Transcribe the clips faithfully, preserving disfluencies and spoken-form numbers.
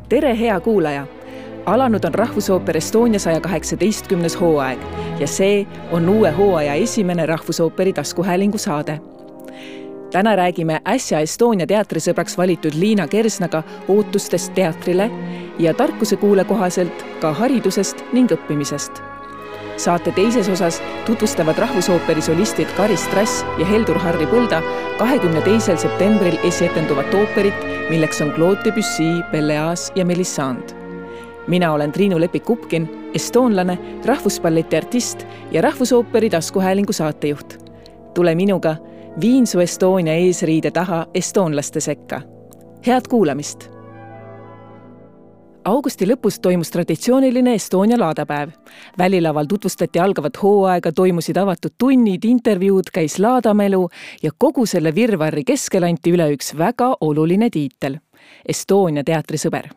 Tere, hea kuulaja! Alanud on Rahvusooper Estonia saja kaheksateistkümnes hooaeg ja see on uue hooaja esimene Rahvusooperi taskuhäälingu saade. Täna räägime äsja Estonia teatrisõbraks valitud Liina Kersnaga ootustest teatrile ja tarkuse kuule kohaselt ka haridusest ning õppimisest. Saate teises osas tutvustavad Rahvusooperi solistid Kari Strass ja Heldur Harri Põlda kahekümne teisel septembril esietenduvat ooperit, milleks on Claude Debussy, Pelléas ja Mélisande. Mina olen Triinu Lepik-Kupkin, estoonlane, rahvuspalleti artist ja Rahvusooperi taskuhäälingu saatejuht. Tule minuga, viin su Estonia eesriide taha estoonlaste sekka. Head kuulamist! Augusti lõpus toimus traditsiooniline Estonia laadapäev. Välilaval tutvustati algavat hooaega, toimusid avatud tunnid, intervjuud, käis laadamelu ja kogu selle virvarri keskel anti üle üks väga oluline tiitel – Estonia teatrisõber.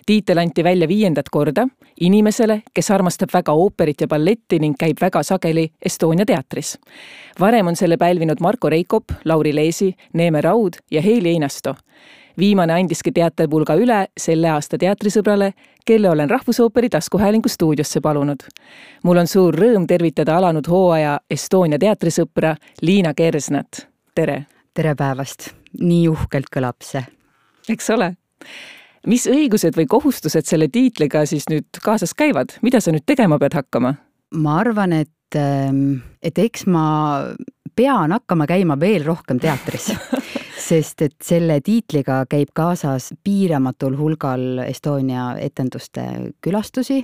Tiitel anti välja viiendat korda inimesele, kes armastab väga ooperit ja balletti ning käib väga sageli Estonia teatris. Varem on selle pälvinud Marko Reikop, Lauri Leesi, Neeme Raud ja Heili Einasto. Viimane andiski teaterpulga üle selle aasta teatrisõbrale, kelle olen Rahvusooperi taskuhäälingu stuudiosse palunud. Mul on suur rõõm tervitada alanud hooaja Estonia teatrisõpra Liina Kersnat. Tere! Tere päevast! Nii uhkelt kõlab see. Eks ole? Mis õigused või kohustused selle tiitliga siis nüüd kaasas käivad? Mida sa nüüd tegema pead hakkama? Ma arvan, et, et eks ma pean hakkama käima veel rohkem teatris, sest et selle tiitliga käib kaasas piiramatul hulgal Estonia etenduste külastusi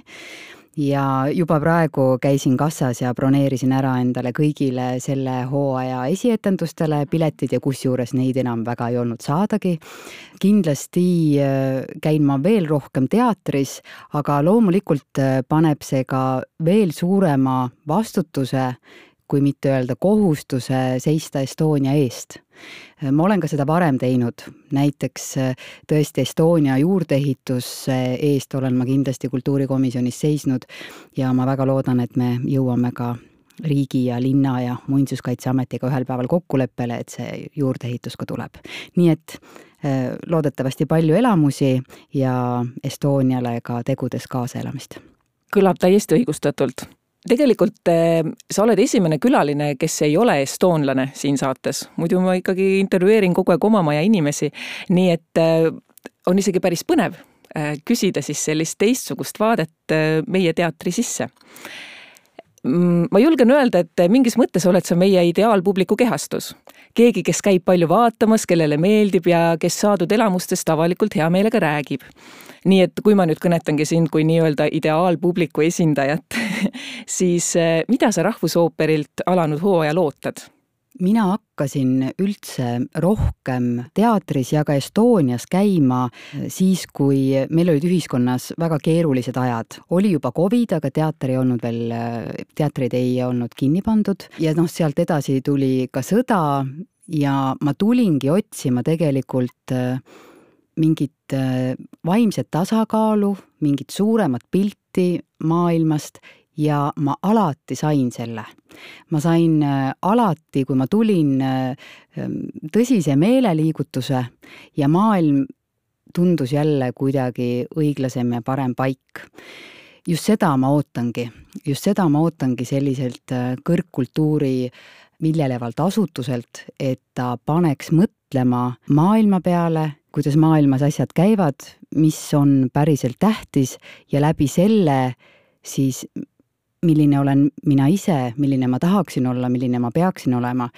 ja juba praegu käisin kassas ja broneerisin ära endale kõigile selle hooaja esietendustele piletid ja kusjuures neid enam väga ei olnud saadagi. Kindlasti käin ma veel rohkem teatris, aga loomulikult paneb see ka veel suurema vastutuse, kui mitte öelda kohustuse seista Estonia eest. Ma olen ka seda varem teinud, näiteks tõesti Estonia juurdeehituse eest olen ma kindlasti kultuurikomisjonis seisnud ja ma väga loodan, et me jõuame ka riigi ja linna ja muinsuskaitseametiga ühel päeval kokkuleppele, et see juurdeehitus ka tuleb. Nii et loodetavasti palju elamusi ja Estoniale ka tegudes kaasaelamist. Kõlab täiesti õigustatult. Tegelikult sa oled esimene külaline, kes ei ole estoonlane siin saates. Muidu ma ikkagi intervjueerin kogu aeg oma maja inimesi, nii et on isegi päris põnev küsida siis sellist teistsugust vaadet meie teatri sisse. Ma julgen öelda, et mingis mõttes oled sa meie ideaalpubliku kehastus. Keegi, kes käib palju vaatamas, kellele meeldib ja kes saadud elamustest avalikult hea meelega räägib. Nii et kui ma nüüd kõnetangi sind kui nii-öelda ideaalpubliku esindajat, siis mida sa Rahvusooperilt alanud hooaja lootad? Mina hakkasin üldse rohkem teatris ja ka Estonias käima siis, kui meil olid ühiskonnas väga keerulised ajad. Oli juba Covid, aga teater ei olnud veel, teatrid ei olnud kinni pandud ja noh, sealt edasi tuli ka sõda ja ma tulingi otsima tegelikult mingit vaimset tasakaalu, mingit suuremat pilti maailmast ja ma alati sain selle. Ma sain alati, kui ma tulin tõsise meeleliigutuse ja maailm tundus jälle kuidagi õiglasem ja parem paik. Just seda ma ootangi. Just seda ma ootangi selliselt kõrgkultuuri viljelevalt asutuselt, et ta paneks mõtlema maailma peale, kuidas maailmas asjad käivad, mis on päriselt tähtis ja läbi selle siis milline olen mina ise, milline ma tahaksin olla, milline ma peaksin olema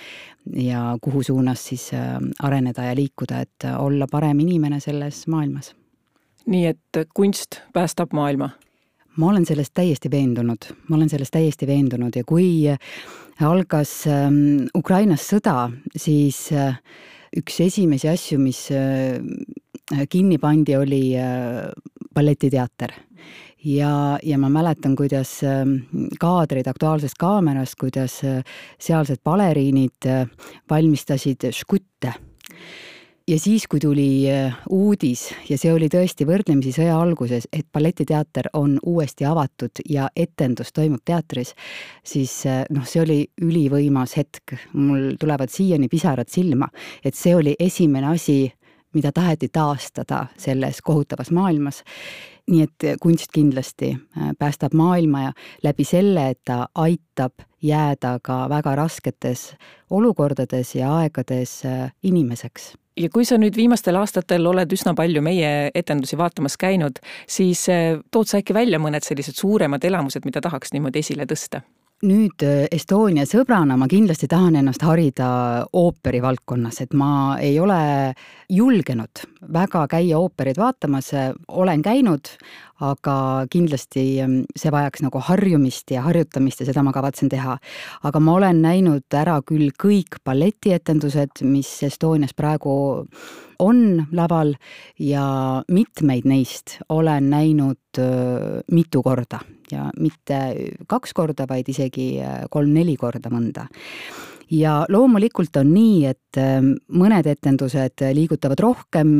ja kuhu suunas siis areneda ja liikuda, et olla parem inimene selles maailmas. Nii et kunst päästab maailma? Ma olen sellest täiesti veendunud. Ma olen sellest täiesti veendunud ja kui algas Ukrainas sõda, siis üks esimesi asju, mis kinni pandi, oli balletiteater. Ja, ja ma mäletan, kuidas kaadrid aktuaalsest kaamerast, kuidas sealsed baleriinid valmistasid škutte. Ja siis, kui tuli uudis, ja see oli tõesti võrdlemisi sõja alguses, et balletiteater on uuesti avatud ja etendus toimub teatris, siis noh, see oli ülivõimas hetk. Mul tulevad siiani pisarad silma, et see oli esimene asi, mida taheti taastada selles kohutavas maailmas. Nii et kunst kindlasti päästab maailma ja läbi selle, et ta aitab jääda ka väga rasketes olukordades ja aegades inimeseks. Ja kui sa nüüd viimastel aastatel oled üsna palju meie etendusi vaatamas käinud, siis tood sa äkki välja mõned sellised suuremad elamused, mida tahaks niimoodi esile tõsta? Nüüd Estonia sõbrana ma kindlasti tahan ennast harida ooperi valdkonnas, et ma ei ole julgenud väga käia ooperid vaatamas, olen käinud, aga kindlasti see vajaks nagu harjumist ja harjutamist ja seda ma kavatsen teha. Aga ma olen näinud ära küll kõik balletietendused, mis Estonias praegu on laval ja mitmeid neist olen näinud mitu korda ja mitte kaks korda, vaid isegi kolm-neli korda mõnda. Ja loomulikult on nii, et mõned etendused liigutavad rohkem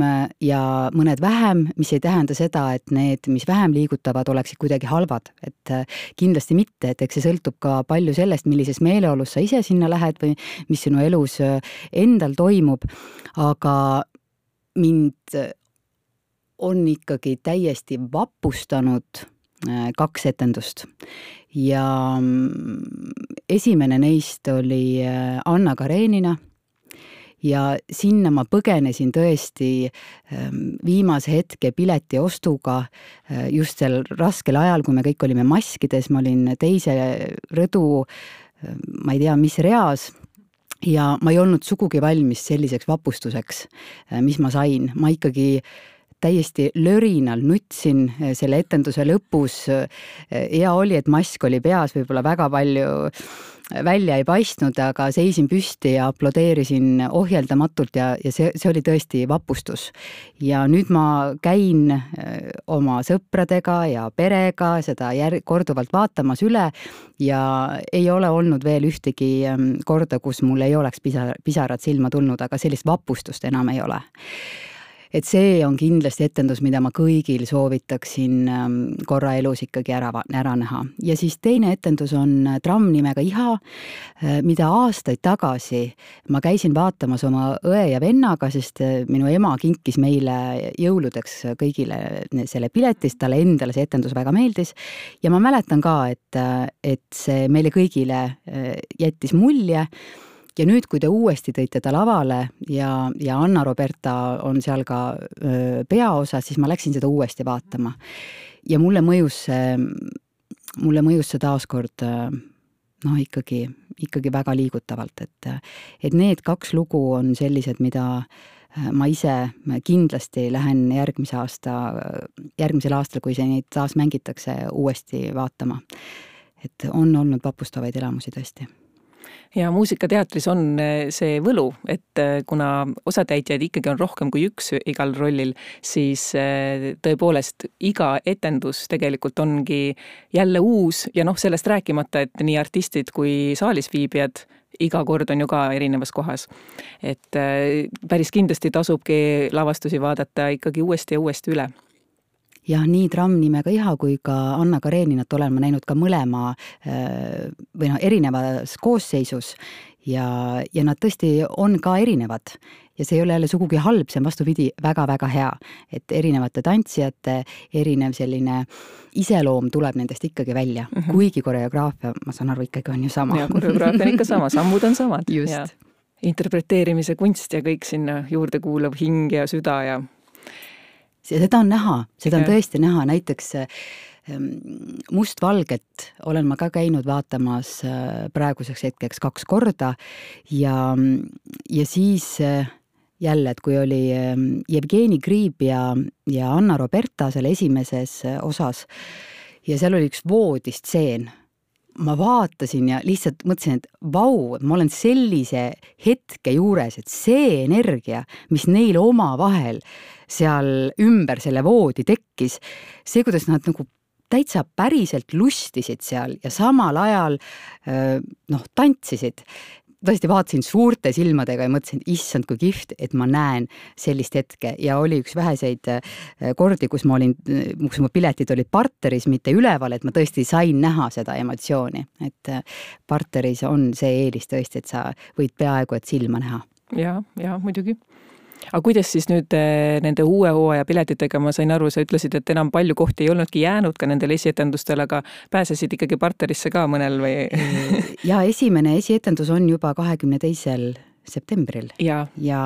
ja mõned vähem, mis ei tähenda seda, et need, mis vähem liigutavad, oleksid kuidagi halvad. Et kindlasti mitte, et eks see sõltub ka palju sellest, millises meeleolus sa ise sinna lähed või mis sinu elus endal toimub, aga mind on ikkagi täiesti vapustanud kaks etendust. Ja esimene neist oli Anna Karenina ja sinna ma põgenesin tõesti viimase hetke pileti ostuga just sel raskel ajal, kui me kõik olime maskides, ma olin teise rõdu, ma ei tea, mis reas, ja ma ei olnud sugugi valmis selliseks vapustuseks, mis ma sain. Ma ikkagi täiesti lörinal nutsin selle etenduse lõpus. Hea oli, et mask oli peas, võib-olla väga palju välja ei paistnud, aga seisin püsti ja aplodeerisin ohjeldamatult ja, ja see, see oli tõesti vapustus. Ja nüüd ma käin oma sõpradega ja perega seda jär- korduvalt vaatamas üle ja ei ole olnud veel ühtegi korda, kus mul ei oleks pisar, pisarad silma tulnud, aga sellist vapustust enam ei ole. Et see on kindlasti etendus, mida ma kõigil soovitaksin korra elus ikkagi ära, ära näha. Ja siis teine etendus on Tramm nimega Iha, mida aastaid tagasi ma käisin vaatamas oma õe ja vennaga, sest minu ema kinkis meile jõuludeks kõigile selle piletist, talle endale see etendus väga meeldis. Ja ma mäletan ka, et, et see meile kõigile jättis mulje. Ja nüüd, kui te uuesti tõite ta lavale ja, ja Anna Roberta on seal ka peaosa, siis ma läksin seda uuesti vaatama. Ja mulle mõjus see, mulle mõjus see taaskord no, ikkagi, ikkagi väga liigutavalt, et, et need kaks lugu on sellised, mida ma ise kindlasti lähen järgmise aasta, järgmisel aastal, kui see neid taas mängitakse, uuesti vaatama. Et on olnud vapustavaid elamusi tõesti. Ja muusikateatris on see võlu, et kuna osatäitjaid ikkagi on rohkem kui üks igal rollil, siis tõepoolest iga etendus tegelikult ongi jälle uus ja noh, sellest rääkimata, et nii artistid kui saalis viibijad iga kord on ju ka erinevas kohas. Et päris kindlasti tasubki lavastusi vaadata ikkagi uuesti ja uuesti üle. Ja nii Tramm nimega Iha kui ka Anna Kareninat olen ma näinud ka mõlema või no, erinevas koosseisus ja, ja nad tõesti on ka erinevad. Ja see ei ole jälle sugugi halb, see on vastupidi väga-väga hea, et erinevate tantsijate erinev selline iseloom tuleb nendest ikkagi välja, mm -hmm. kuigi koreograafia, ma saan aru, ikkagi on ju sama. Ja koreograafia on ikka sama, sammud on samad. Just. Ja interpreteerimise kunst ja kõik sinna juurde kuulav hing ja süda ja seda on näha, seda on tõesti näha, näiteks Mustvalget olen ma ka käinud vaatamas praeguseks hetkeks kaks korda ja, ja siis jälle, et kui oli Jevgeni Kriib ja, ja Anna Roberta selle esimeses osas ja seal oli üks voodistseen, ma vaatasin ja lihtsalt mõtlesin, et vau, ma olen sellise hetke juures, et see energia, mis neil oma vahel seal ümber selle voodi tekkis, see, kuidas nad nagu täitsa päriselt lustisid seal ja samal ajal noh, tantsisid. Tõesti vaatasin suurte silmadega ja mõtlesin, issand kui kihvt, et ma näen sellist hetke ja oli üks väheseid kordi, kus ma olin, kus mu piletid olid parteris, mitte üleval, et ma tõesti sain näha seda emotsiooni, et parteris on see eelis tõesti, et sa võid peaaegu et silma näha. Ja, ja muidugi. Aga kuidas siis nüüd nende uue hooaja piletitega, ma sain aru, sa ütlesid, et enam palju kohti ei olnudki jäänud ka nendel esietendustel, aga pääsesid ikkagi parterisse ka mõnel või? Ja esimene esietendus on juba kahekümne teisel septembril ja, ja,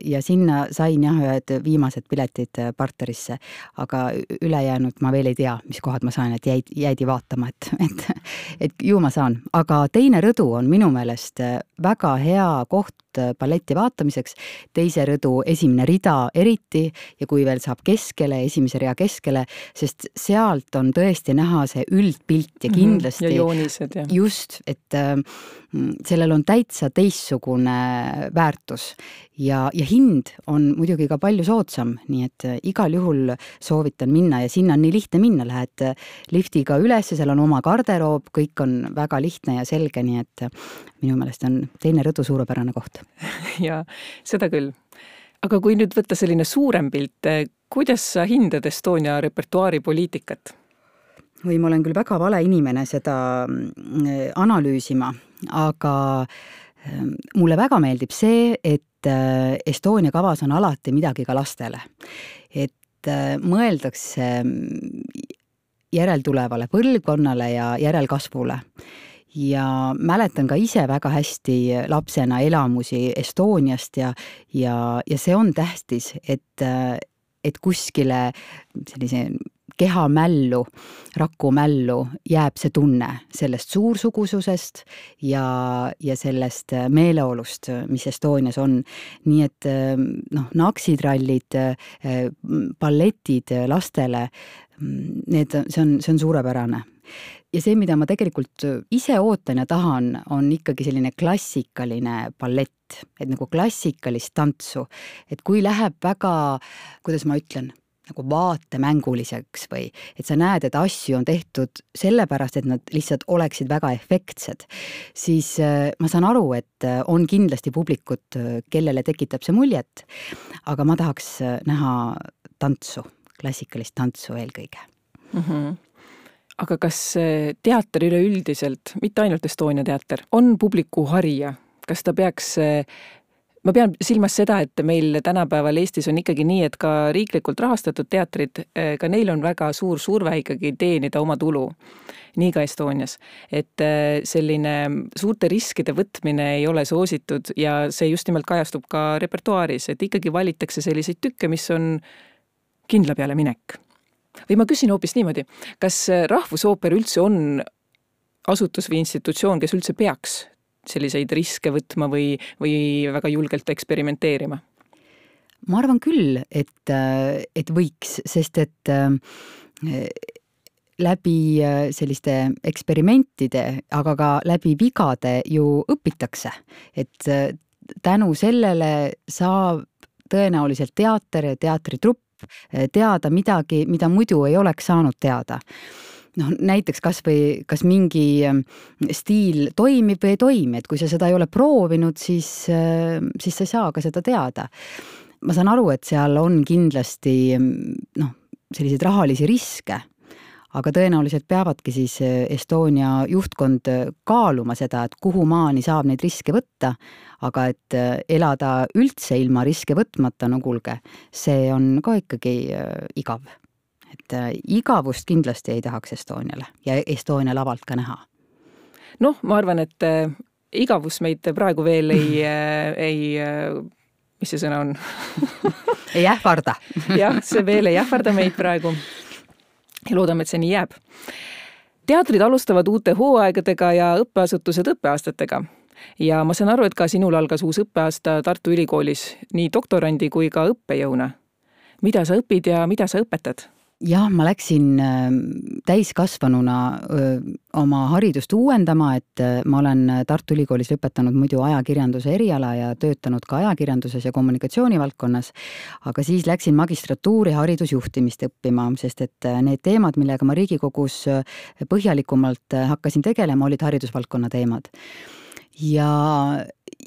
ja sinna sain jah ühed viimased piletid parterisse, aga ülejäänud ma veel ei tea, mis kohad ma saan, et jäid, jäidi vaatama, et, et, et ju ma saan. Aga teine rõdu on minu meelest väga hea koht balleti vaatamiseks, teise rõdu esimene rida eriti ja kui veel saab keskele, esimese rea keskele, sest sealt on tõesti näha see üldpilt ja kindlasti ja joonised, ja. Just, et äh, sellel on täitsa teistsugune väärtus ja, ja hind on muidugi ka palju soodsam, nii et igal juhul soovitan minna ja sinna on nii lihtne minna, lähed liftiga üles, seal on oma garderoob, kõik on väga lihtne ja selge, nii et minu meelest on teine rõdu suurepärane koht. Ja seda küll. Aga kui nüüd võtta selline suurem pilt, kuidas sa hindad Estonia repertuaari poliitikat? Või ma olen küll väga vale inimene seda analüüsima, aga mulle väga meeldib see, et Estonia kavas on alati midagi ka lastele. Et mõeldakse järeltulevale põlvkonnale ja järelkasvule. Ja mäletan ka ise väga hästi lapsena elamusi Estoniast ja, ja, ja see on tähtis, et, et kuskile sellise kehamällu, rakumällu jääb see tunne sellest suursugususest ja, ja sellest meeleolust, mis Estonias on. Nii et noh, naksitrallid, balletid lastele, need, see on, see on suurepärane. Ja see, mida ma tegelikult ise ootan ja tahan, on ikkagi selline klassikaline ballett, et nagu klassikalist tantsu, et kui läheb väga, kuidas ma ütlen, nagu vaatemänguliseks või et sa näed, et asju on tehtud sellepärast, et nad lihtsalt oleksid väga efektsed, siis ma saan aru, et on kindlasti publikut, kellele tekitab see muljet, aga ma tahaks näha tantsu, klassikalist tantsu eelkõige. Mhm. Aga kas teater üleüldiselt, mitte ainult Estonia teater, on publiku harija? Kas ta peaks, ma pean silmas seda, et meil tänapäeval Eestis on ikkagi nii, et ka riiklikult rahastatud teatrid, ka neil on väga suur surve ikkagi teenida oma tulu. Nii ka Estonias. Et selline suurte riskide võtmine ei ole soositud ja see just nimelt kajastub ka repertuaaris, et ikkagi valitakse selliseid tükke, mis on kindla peale minek. Või ma küsin hoopis niimoodi, kas Rahvusooper üldse on asutus või institutsioon, kes üldse peaks selliseid riske võtma või, või väga julgelt eksperimenteerima? Ma arvan küll, et, et võiks, sest et läbi selliste eksperimentide, aga ka läbi vigade ju õpitakse, et tänu sellele saab tõenäoliselt teater ja teatritrupp teada midagi, mida muidu ei oleks saanud teada. noh, näiteks kas või, kas mingi stiil toimib või ei toimi, et kui sa seda ei ole proovinud, siis, siis sa ei saa ka seda teada. Ma saan aru, et seal on kindlasti noh, selliseid rahalisi riske, aga tõenäoliselt peavadki siis Estonia juhtkond kaaluma seda, et kuhu maani saab neid riske võtta, aga et elada üldse ilma riske võtmata, no kuulge, see on ka ikkagi igav. Et igavust kindlasti ei tahaks Estoniale ja Estonia lavalt ka näha. Noh, ma arvan, et igavus meid praegu veel ei, ei mis see sõna on? ei ähvarda. jah, see veel ei ähvarda meid praegu. Ja loodame, et see nii jääb. Teatrid alustavad uute hooaegadega ja õppeasutused õppeaastatega. Ja ma saan aru, et ka sinul algas uus õppeaasta Tartu Ülikoolis nii doktorandi kui ka õppejõuna. Mida sa õpid ja mida sa õpetad? Jah, ma läksin täiskasvanuna oma haridust uuendama, et ma olen Tartu Ülikoolis lõpetanud muidu ajakirjanduse eriala ja töötanud ka ajakirjanduses ja kommunikatsioonivaldkonnas, aga siis läksin magistratuuri haridusjuhtimist õppima, sest et need teemad, millega ma Riigikogus põhjalikumalt hakkasin tegelema, olid haridusvaldkonna teemad. Ja,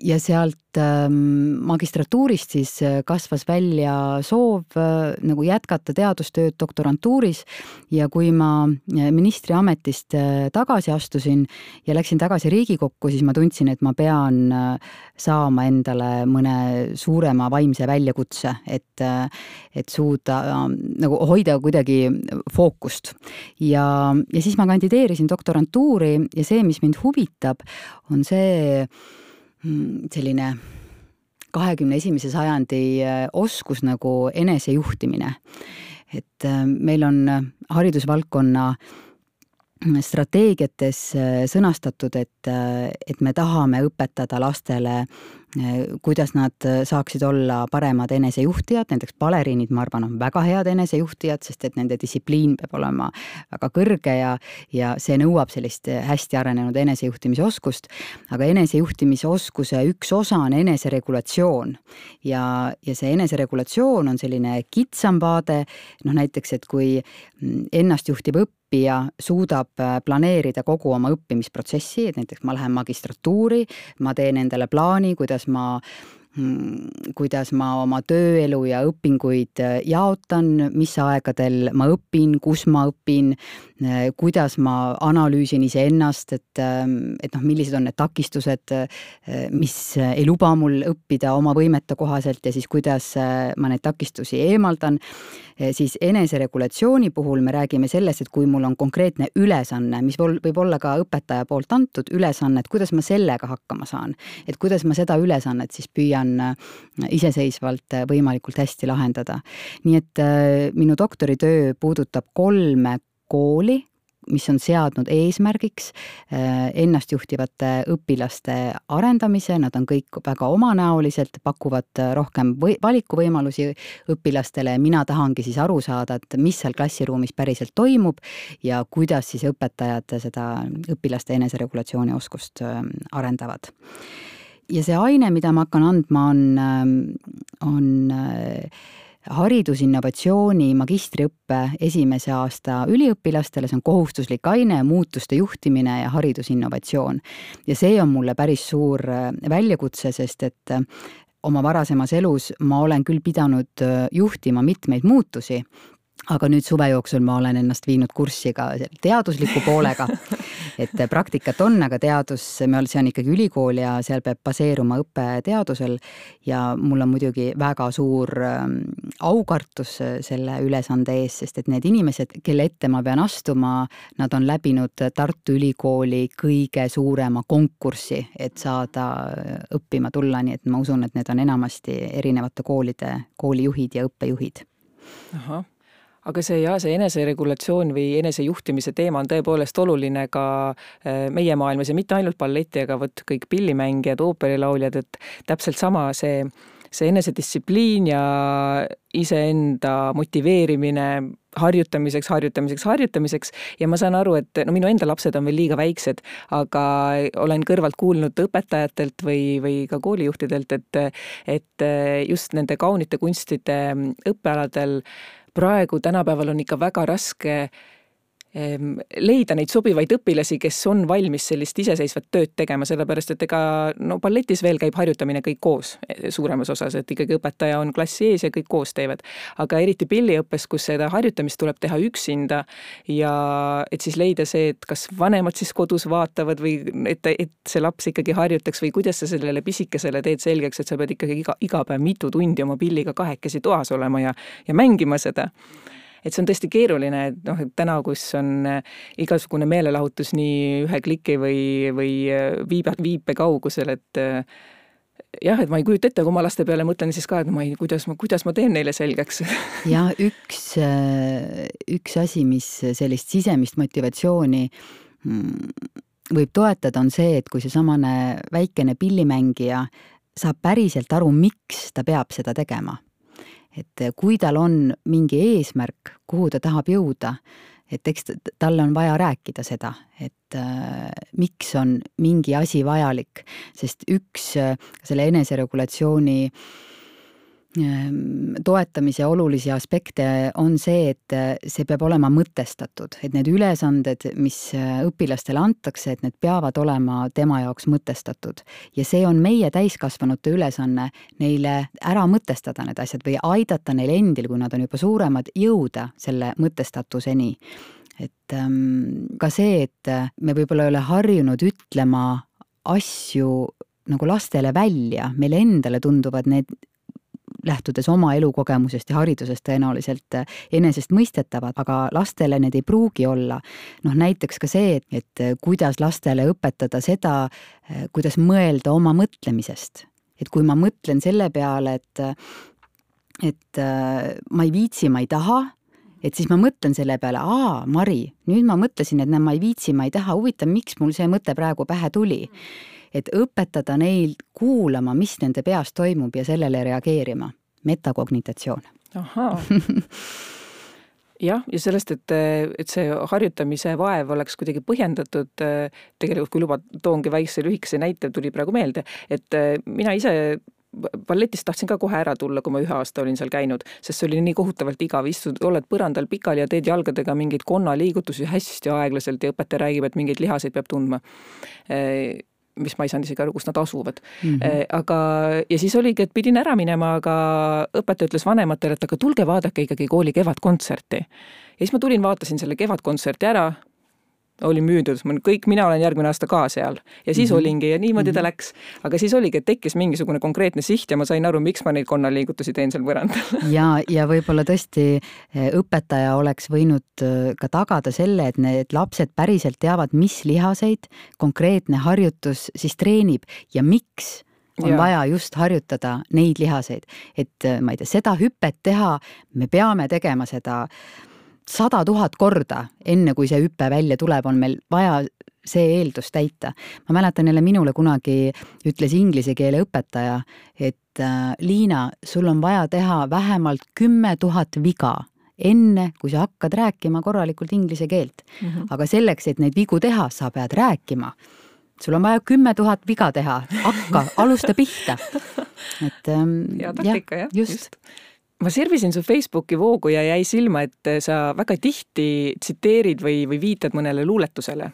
ja sealt magistratuurist siis kasvas välja soov nagu jätkata teadustööd doktorantuuris ja kui ma ministri ametist tagasi astusin ja läksin tagasi Riigikokku, siis ma tundsin, et ma pean saama endale mõne suurema vaimse väljakutse, et, et suuda nagu hoida kuidagi fookust. Ja, ja siis ma kandideerisin doktorantuuri ja see, mis mind huvitab, on see selline kahekümne esimese sajandi oskus nagu enesejuhtimine. Et meil on haridusvaldkonna strateegiates sõnastatud, et, et me tahame õpetada lastele, kuidas nad saaksid olla paremad enesejuhtijad, näiteks baleriinid, ma arvan, on väga head enesejuhtijad, sest et nende distsipliin peab olema väga kõrge ja, ja see nõuab sellist hästi arenenud enesejuhtimisoskust, aga enesejuhtimisoskuse üks osa on eneseregulatsioon ja, ja see eneseregulatsioon on selline kitsam vaade, noh näiteks, et kui ennastjuhtiv õppija suudab planeerida kogu oma õppimisprotsessi, et näiteks ma lähen magistratuuri, ma teen endale plaani, kuidas ma, kuidas ma oma tööelu ja õpinguid jaotan, mis aegadel ma õpin, kus ma õpin, kuidas ma analüüsin iseennast, et, et noh, millised on need takistused, mis ei luba mul õppida oma võimete kohaselt ja siis kuidas ma neid takistusi eemaldan. Siis eneseregulatsiooni puhul me räägime sellest, et kui mul on konkreetne ülesanne, mis võib olla ka õpetaja poolt antud ülesanne, et kuidas ma sellega hakkama saan, et kuidas ma seda ülesannet siis püüan iseseisvalt võimalikult hästi lahendada. Nii et minu doktoritöö puudutab kolme kooli, mis on seadnud eesmärgiks ennastjuhtivate õpilaste arendamise, nad on kõik väga omanäoliselt, pakuvad rohkem või, valikuvõimalusi õpilastele, mina tahangi siis aru saada, et mis seal klassiruumis päriselt toimub ja kuidas siis õpetajad seda õpilaste eneseregulatsiooni oskust arendavad. Ja see aine, mida ma hakkan andma, on, on haridusinnovatsiooni magistriõppe esimese aasta üliõpilastele, see on kohustuslik aine, muutuste juhtimine ja haridusinnovatsioon. Ja see on mulle päris suur väljakutse, sest et oma varasemas elus ma olen küll pidanud juhtima mitmeid muutusi, aga nüüd suve jooksul ma olen ennast viinud kurssi ka teadusliku poolega, et praktikat on, aga teadus, see on ikkagi ülikool ja seal peab baseeruma õppe teadusel ja mul on muidugi väga suur aukartus selle ülesande ees, sest et need inimesed, kelle ette ma pean astuma, nad on läbinud Tartu Ülikooli kõige suurema konkurssi, et saada õppima tulla, nii et ma usun, et need on enamasti erinevate koolide, koolijuhid ja õppejuhid. Ahah. Aga see, ja, see eneseregulatsioon või enesejuhtimise teema on tõepoolest oluline ka meie maailmas ja mitte ainult balleti, aga võt kõik pillimängijad, ooperilauljad, et täpselt sama see, see enesedistsipliin ja iseenda motiveerimine harjutamiseks, harjutamiseks, harjutamiseks ja ma saan aru, et no minu enda lapsed on veel liiga väiksed, aga olen kõrvalt kuulnud õpetajatelt või, või ka koolijuhtidelt, et, et just nende kaunite kunstide õppealadel praegu tänapäeval on ikka väga raske leida neid sobivaid õpilasi, kes on valmis sellist iseseisvat tööd tegema, sellepärast, et ega no balletis veel käib harjutamine kõik koos suuremas osas, et ikkagi õpetaja on klassi ees ja kõik koos teevad. Aga eriti pilliõppes, kus seda harjutamist tuleb teha üksinda ja et siis leida see, et kas vanemad siis kodus vaatavad või et, et see laps ikkagi harjutaks või kuidas sa sellele pisikesele teed selgeks, et sa pead ikkagi iga, iga päev mitu tundi oma pilliga kahekesi toas olema ja, ja mängima seda. Et see on tõesti keeruline, et noh, et täna, kus on igasugune meelelahutus nii ühe kliki või, või viibe, viipe kaugusel, et jah, et ma ei kujuta ette, kui ma laste peale mõtlen siis ka, et ma ei, kuidas, ma, kuidas ma teen neile selgeks. Ja üks, üks asi, mis sellist sisemist motivatsiooni võib toetada, on see, et kui see samane väikene pillimängija saab päriselt aru, miks ta peab seda tegema. Et kui tal on mingi eesmärk, kuhu ta tahab jõuda, et eks talle on vaja rääkida seda, et äh, miks on mingi asi vajalik, sest üks äh, selle eneseregulatsiooni toetamise olulisi aspekte on see, et see peab olema mõtestatud, et need ülesanded, mis õpilastele antakse, et need peavad olema tema jaoks mõtestatud. Ja see on meie täiskasvanute ülesanne neile ära mõtestada need asjad või aidata neil endil, kui nad on juba suuremad, jõuda selle mõtestatuseni. Et ähm, ka see, et me võib-olla ei ole harjunud ütlema asju nagu lastele välja, meile endale tunduvad need lähtudes oma elukogemusest ja haridusest tõenäoliselt enesest mõistetavad, aga lastele need ei pruugi olla. Noh, näiteks ka see, et kuidas lastele õpetada seda, kuidas mõelda oma mõtlemisest. Et kui ma mõtlen selle peale, et, et ma ei viitsi, ma ei taha, et siis ma mõtlen selle peale, aa, Mari, nüüd ma mõtlesin, et ma ei viitsi, ma ei taha, huvitav, miks mul see mõte praegu pähe tuli. Et õpetada neil kuulama, mis nende peas toimub ja sellele reageerima. Metakognitatsioon. Ahaa. Jah, ja sellest, et, et see harjutamise vaev oleks kuidagi põhjendatud, tegelikult kui luba toongi väikse lühikese näite, tuli praegu meelde, et mina ise balletist tahtsin ka kohe ära tulla, kui ma ühe aasta olin seal käinud, sest see oli nii kohutavalt igav, istud, oled põrandal pikali ja teed jalgadega mingeid konnaliigutusi hästi aeglaselt ja õpetaja räägib, et mingeid lihaseid peab tundma. Mis ma ei saanud isegi aru, kus nad asuvad. Mm-hmm. Aga, ja siis oligi, et pidin ära minema, aga õpetaja ütles vanematele, et aga tulge vaadake ikkagi kooli kevadkontserti. Ja siis ma tulin, vaatasin selle kevadkontserti ära, oli müüdud, kõik, mina olen järgmine aasta ka seal. Ja siis mm-hmm. olingi ja niimoodi ta läks. Aga siis oligi, et tekkis mingisugune konkreetne siht ja ma sain aru, miks ma neid konnaliigutusi teen seal põrandal. ja, ja võib-olla tõesti õpetaja oleks võinud ka tagada selle, et need lapsed päriselt teavad, mis lihaseid konkreetne harjutus siis treenib ja miks on ja. Vaja just harjutada neid lihaseid. Et ma ei tea, seda hüpet teha, me peame tegema seda sada tuhat korda, enne kui see hüppe välja tuleb, on meil vaja see eeldus täita. Ma mäletan jälle minule kunagi ütles inglise keele õpetaja, et äh, Liina, sul on vaja teha vähemalt kümme tuhat viga, enne kui sa hakkad rääkima korralikult inglise keelt. Mm-hmm. Aga selleks, et neid vigu teha, sa pead rääkima. Sul on vaja kümme tuhat viga teha, hakka, alusta pihta. Et, ähm, ja taktika, jah, just. just. Ma sirvisin su Facebooki voogu ja jäi silma, et sa väga tihti tsiteerid või, või viitad mõnele luuletusele.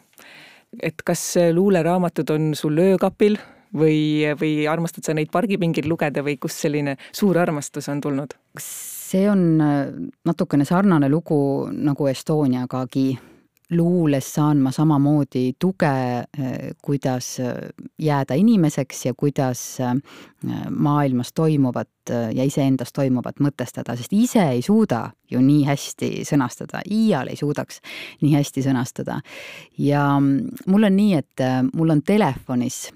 Et kas luuleraamatud on sul öökapil või, või armastad sa neid pargipingil lugeda või kus selline suur armastus on tulnud? See on natukene sarnane lugu nagu Estoniagagi. Luules saan ma samamoodi tuge, kuidas jääda inimeseks ja kuidas maailmas toimuvat ja iseendas toimuvat mõtestada, sest ise ei suuda ju nii hästi sõnastada, iial ei suudaks nii hästi sõnastada. Ja mul on nii, et mul on telefonis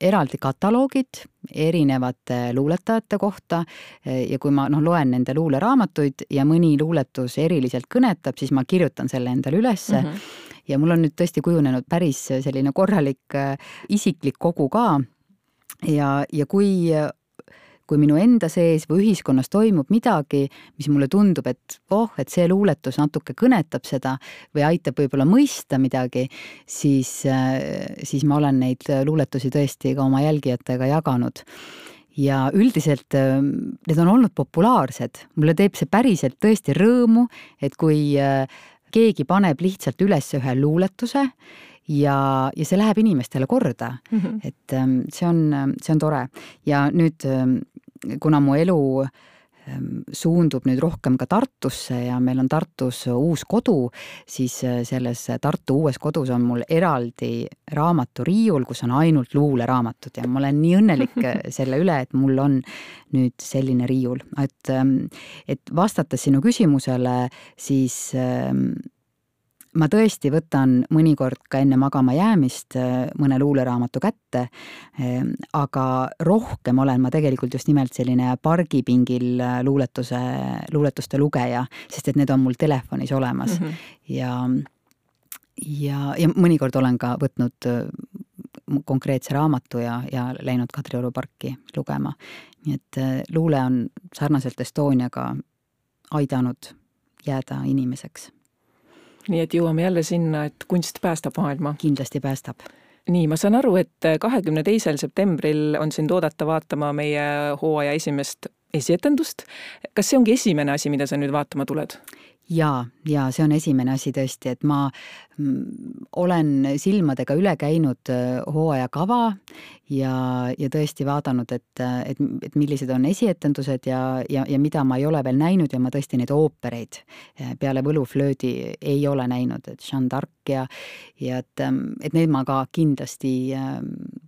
eraldi kataloogid erinevate luuletajate kohta ja kui ma no, loen nende luuleraamatuid ja mõni luuletus eriliselt kõnetab, siis ma kirjutan selle endale ülesse. Mm-hmm. Ja mul on nüüd tõesti kujunenud päris selline korralik isiklik kogu ka. Ja, ja kui, kui minu enda sees või ühiskonnas toimub midagi, mis mulle tundub, et oh, et see luuletus natuke kõnetab seda või aitab võib-olla mõista midagi, siis, siis ma olen neid luuletusi tõesti ka oma jälgijatega jaganud. Ja üldiselt need on olnud populaarsed. Mulle teeb see päriselt tõesti rõõmu, et kui keegi paneb lihtsalt üles ühe luuletuse ja, ja see läheb inimestele korda. Mm-hmm. Et see on, see on tore. Ja nüüd, kuna mu elu suundub nüüd rohkem ka Tartusse ja meil on Tartus uus kodu, siis selles Tartu uues kodus on mul eraldi raamaturiiul, kus on ainult luuleraamatud ja ma olen nii õnnelik selle üle, et mul on nüüd selline riiul. Et, et vastates sinu küsimusele, siis ma tõesti võtan mõnikord ka enne magama jäämist mõne luuleraamatu kätte, aga rohkem olen ma tegelikult just nimelt selline pargipingil luuletuse, luuletuste lugeja, sest et need on mul telefonis olemas. Mm-hmm. Ja, ja, ja mõnikord olen ka võtnud konkreetse raamatu ja, ja läinud Kadrioru parki lugema. Nii et luule on sarnaselt Estoniaga aidanud jääda inimeseks. Nii et jõuame jälle sinna, et kunst päästab maailma. Kindlasti päästab. Nii, ma saan aru, et kahekümne teisel septembril on sind oodata vaatama meie hooaja esimest esietendust. Kas see ongi esimene asi, mida sa nüüd vaatama tuled? Jaa, ja see on esimene asi tõesti, et ma olen silmadega üle käinud hooaja kava ja, ja tõesti vaadanud, et, et, et millised on esietendused ja, ja, ja mida ma ei ole veel näinud ja ma tõesti neid oopereid peale Võluflöödi ei ole näinud, et Jeanne d'Arc ja, ja et, et need ma ka kindlasti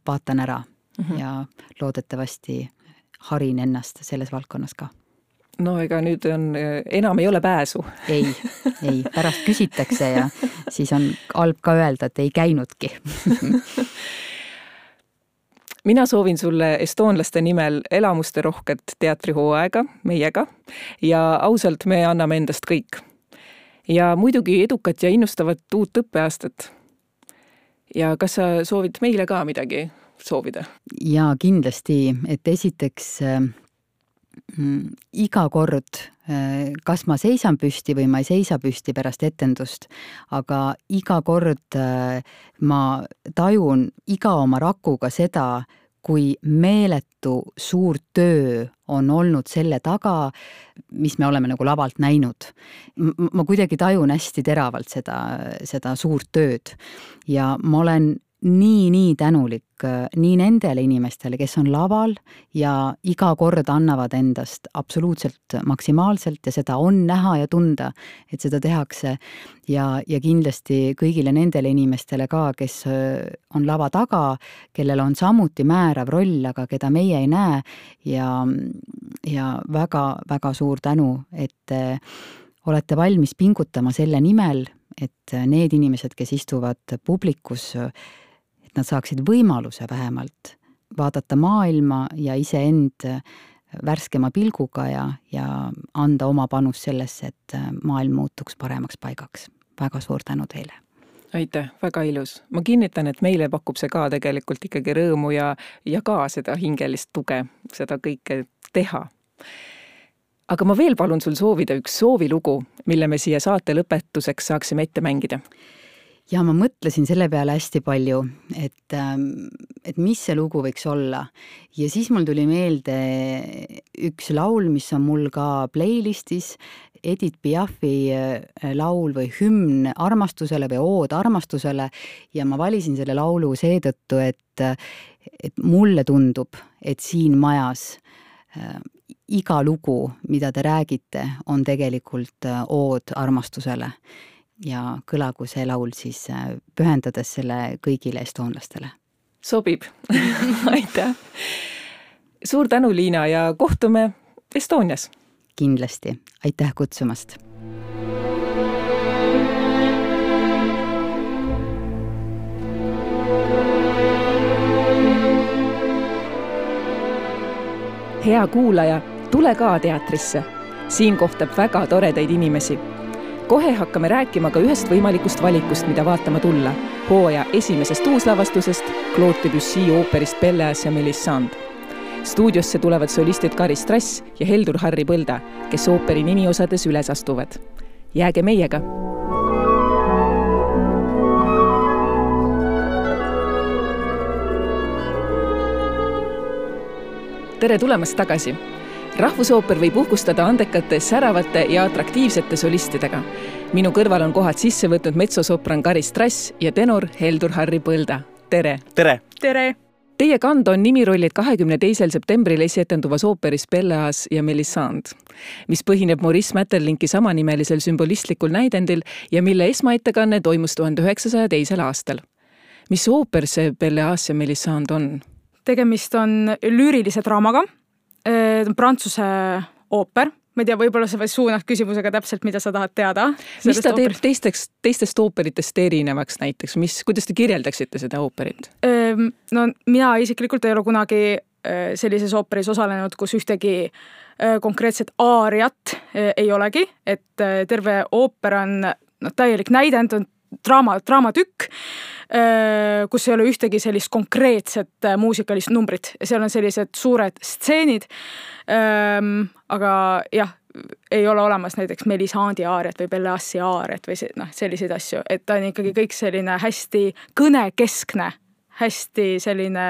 vaatan ära mm-hmm. ja loodetavasti harin ennast selles valdkonnas ka. No ega nüüd on, enam ei ole pääsu. Ei, ei, pärast küsitakse ja siis on halb ka öelda, et ei käinudki. Mina soovin sulle estoonlaste nimel elamuste rohket teatrihooaega meiega ja ausalt me anname endast kõik. Ja muidugi edukat ja innustavat uut õppeaastat. Ja kas sa soovid meile ka midagi soovida? Ja kindlasti, et esiteks iga kord, kas ma seisan püsti või ma ei seisa püsti pärast etendust, aga iga kord ma tajun iga oma rakuga seda, kui meeletu suur töö on olnud selle taga, mis me oleme nagu lavalt näinud. Ma kuidagi tajun hästi teravalt seda, seda suurt tööd ja ma olen nii, nii tänulik nii nendele inimestele, kes on laval ja iga kord annavad endast absoluutselt maksimaalselt ja seda on näha ja tunda, et seda tehakse ja, ja kindlasti kõigile nendele inimestele ka, kes on lava taga, kellel on samuti määrav roll, aga keda meie ei näe ja, ja väga, väga suur tänu, et olete valmis pingutama selle nimel, et need inimesed, kes istuvad publikus, nad saaksid võimaluse vähemalt vaadata maailma ja iseend värskema pilguga ja, ja anda oma panus sellesse, et maailm muutuks paremaks paigaks. Väga suur tänu teile. Aitäh, väga ilus. Ma kinnitan, et meile pakub see ka tegelikult ikkagi rõõmu ja, ja ka seda hingelist tuge, seda kõike teha. Aga ma veel palun sul soovida üks soovilugu, mille me siia saate lõpetuseks saaksime ette mängida. Ja ma mõtlesin selle peale hästi palju, et, et mis see lugu võiks olla. Ja siis mul tuli meelde üks laul, mis on mul ka playlistis, Edith Piafi laul või hümn armastusele või ood armastusele ja ma valisin selle laulu seetõttu, et, et mulle tundub, et siin majas iga lugu, mida te räägite, on tegelikult ood armastusele. Ja kõlagu see laul siis pühendades selle kõigile estoonlastele. Sobib. Aitäh. Suur tänu, Liina, ja kohtume Estonias. Kindlasti. Aitäh kutsumast. Hea kuulaja, tule ka teatrisse. Siin kohtab väga toredaid inimesi. Kohe hakkame rääkima ka ühest võimalikust valikust, mida vaatama tulla. Hooaja esimesest uuslavastusest Claude Debussy ooperist Pelléas ja Mélisande. Stuudiosse tulevad solistid Kari Strass ja Heldur Harri Põlda, kes ooperi nimiosades üles astuvad. Jääge meiega! Tere tulemast tagasi! Rahvusooper võib uhkustada andekate, säravate ja atraktiivsete solistidega. Minu kõrval on kohad sisse võtnud metsosopran Kari Strass ja tenor Heldur Harri Põlda. Tere! Tere! Tere! Teie kanda on nimirollid kahekümne teisel septembril esietenduvas ooperis Pelléas ja Mélisande, mis põhineb Maurice Maeterlinki samanimelisel sümbolistlikul näidendil ja mille esmaettekanne toimus tuhande üheksasaja teisel aastal. Mis ooper see Pelléas ja Mélisande on? Tegemist on lüürilise draamaga. Prantsuse ooper. Ma ei tea, võib-olla sa või suunad küsimusega täpselt, mida sa tahad teada. Mis ta teeb teisteks, teistest ooperitest erinevaks näiteks? Mis, kuidas te kirjeldaksite seda ooperit? No mina isiklikult ei ole kunagi sellises ooperis osalenud, kus ühtegi konkreetset aariat ei olegi, et terve ooper on no, täielik näidend, on draama, draamatükk, kus ei ole ühtegi sellist konkreetset muusikalist numbrit. Seal on sellised suured stseenid, aga jah, ei ole olemas näiteks Mélisandi aariat või Pelléasi aariat või no, selliseid asju. Et ta on ikkagi kõik selline hästi kõnekeskne, hästi selline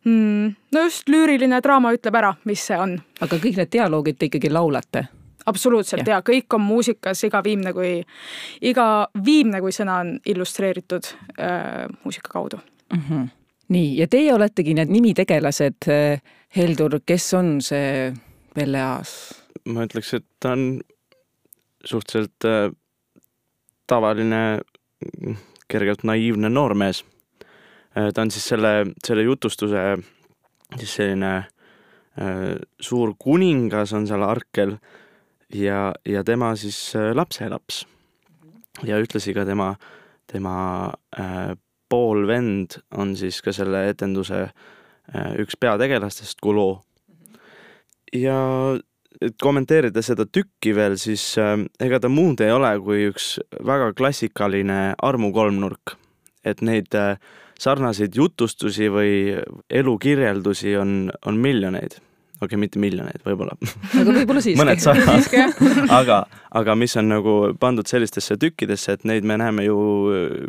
mm,. No just lüüriline draama ütleb ära, mis see on. Aga kõik need dialoogid te ikkagi laulate? Absoluutselt ja. ja kõik on muusikas, iga viimne kui, iga viimne kui sõna on illustreeritud äh, muusika kaudu. Mm-hmm. Nii, ja teie oletegi need nimitegelased. Heldur, kes on see Pelle Aas? Ma ütleks, et ta on suhteliselt äh, tavaline, kergelt naiivne noormees. Äh, ta on siis selle, selle jutustuse siis selline äh, suur kuningas on seal Arkel ja, ja tema siis lapselaps. Ja ütlesi ka tema, tema äh, poolvend on siis ka selle etenduse äh, üks peategelastest, Kulo. Ja et kommenteerida seda tükki veel, siis äh, ega ta muud ei ole kui üks väga klassikaline armu kolmnurk. Et neid äh, sarnaseid jutustusi või elukirjeldusi on, on miljoneid. Okei, okay, mitte miljoneid, võib-olla. Aga võib-olla siiski. Mõned sarnad. aga, aga mis on nagu pandud sellistesse tükkidesse, et neid me näeme ju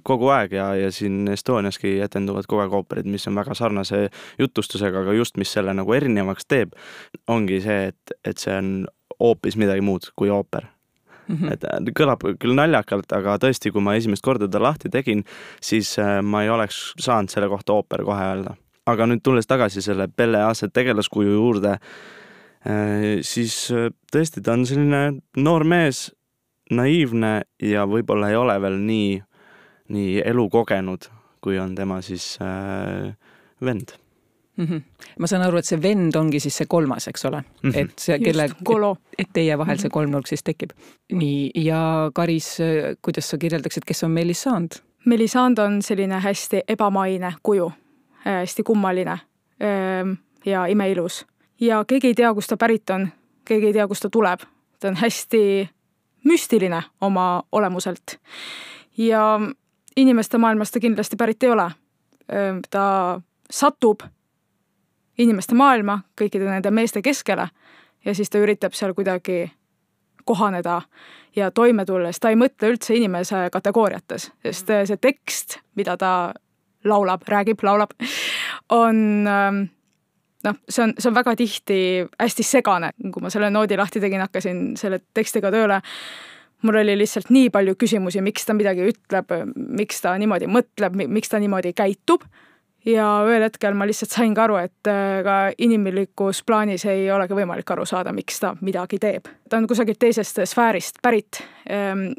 kogu aeg ja, ja siin Estoniaski etenduvad kogu aeg ooperid, mis on väga sarnase jutustusega, aga just mis selle nagu erinevaks teeb, ongi see, et, et see on hoopis midagi muud kui ooper. Mm-hmm. Et kõlab küll naljakalt, aga tõesti, kui ma esimest korda ta lahti tegin, siis ma ei oleks saanud selle kohta ooper kohe öelda. Aga nüüd tulles tagasi selle Pelle Aase tegelaskuju juurde, siis tõesti ta on selline noor mees, naiivne ja võib-olla ei ole veel nii, nii elu kogenud, kui on tema siis äh, vend. Mm-hmm. Ma saan aru, et see vend ongi siis see kolmas, eks ole? Mm-hmm. Et, see, kelle, et, et teie vahel see kolmnurk siis tekib. Nii, ja Karis, kuidas sa kirjeldaksid, kes on Melisand? Melisand on selline hästi ebamaine kuju. Hästi kummaline ja imeilus. Ja keegi ei tea, kus ta pärit on, keegi ei tea, kus ta tuleb. Ta on hästi müstiline oma olemuselt. Ja inimeste maailmas ta kindlasti pärit ei ole. Ta satub inimeste maailma, kõikide nende meeste keskele ja siis ta üritab seal kuidagi kohaneda ja toime tulles. Ta ei mõtle üldse inimese kategooriates, sest see tekst, mida ta laulab, räägib, laulab, on, noh, see on, see on väga tihti hästi segane. Kui ma selle noodi lahti tegin, hakkasin selle tekstiga tööle, mul oli lihtsalt nii palju küsimusi, miks ta midagi ütleb, miks ta niimoodi mõtleb, miks ta niimoodi käitub. Ja ühel hetkel ma lihtsalt sain ka aru, et ka inimlikus plaanis ei olegi võimalik aru saada, miks ta midagi teeb. Ta on kusagilt teisest sfäärist pärit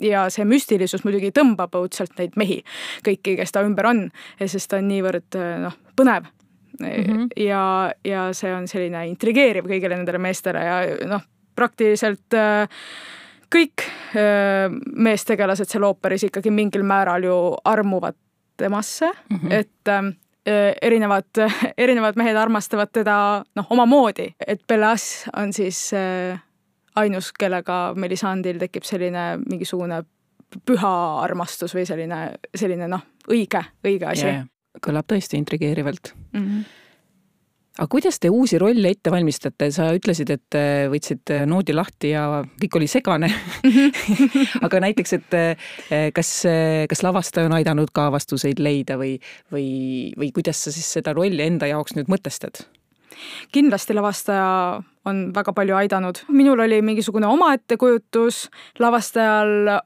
ja see müstilisus muidugi tõmbab õudselt neid mehi, kõiki, kes ta ümber on, sest ta on niivõrd noh, põnev. Mm-hmm. Ja, ja see on selline intrigeeriv kõigile nendele meestele ja noh, praktiliselt kõik meestegelased seal ooperis ikkagi mingil määral ju armuvad temasse, mm-hmm. et erinevad, erinevad mehed armastavad teda noh, oma moodi, et Pelle Aas on siis ainus, kellega Melisandil tekib selline mingisugune püha armastus või selline, selline noh, õige, õige asi. Yeah. Kõlab tõesti intrigeerivalt. Mm-hmm. Aga kuidas te uusi rolle ette valmistate? Sa ütlesid, et võtsid noodi lahti ja kõik oli segane. Aga näiteks, et kas, kas lavastaja on aidanud ka vastuseid leida või, või, või kuidas sa siis seda rolli enda jaoks nüüd mõtestad? Kindlasti lavastaja on väga palju aidanud. Minul oli mingisugune oma ettekujutus, lavastajal